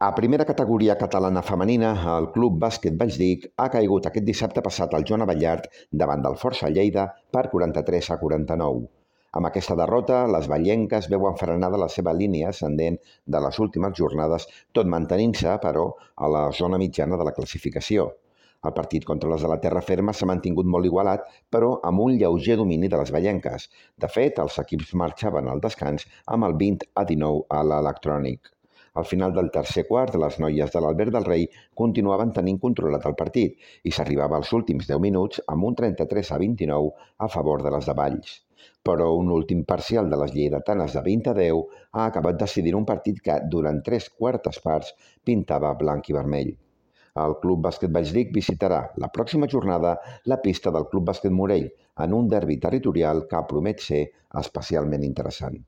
A primera categoria catalana femenina, el Club Bàsquet Valldic ha caigut aquest dissabte passat al Joan Abellart davant del Força Lleida per 43-49. Amb aquesta derrota, les vallenques veuen frenada la seva línia ascendent de les últimes jornades, tot mantenint-se, però, a la zona mitjana de la classificació. El partit contra les de la terra ferma s'ha mantingut molt igualat, però amb un lleuger domini de les vallenques. De fet, els equips marxaven al descans amb el 20-19 a l'electrònic. Al final del tercer quart, les noies de l'Albert del Rei continuaven tenint controlat el partit i s'arribava als últims 10 minuts amb un 33-29 a favor de les de Valls. Però un últim parcial de les lleidatanes de 20-10 ha acabat decidint un partit que, durant 3/4 parts, pintava blanc i vermell. El Club Bàsquet Valldic visitarà la pròxima jornada la pista del Club Bàsquet Morell en un derbi territorial que promet ser especialment interessant.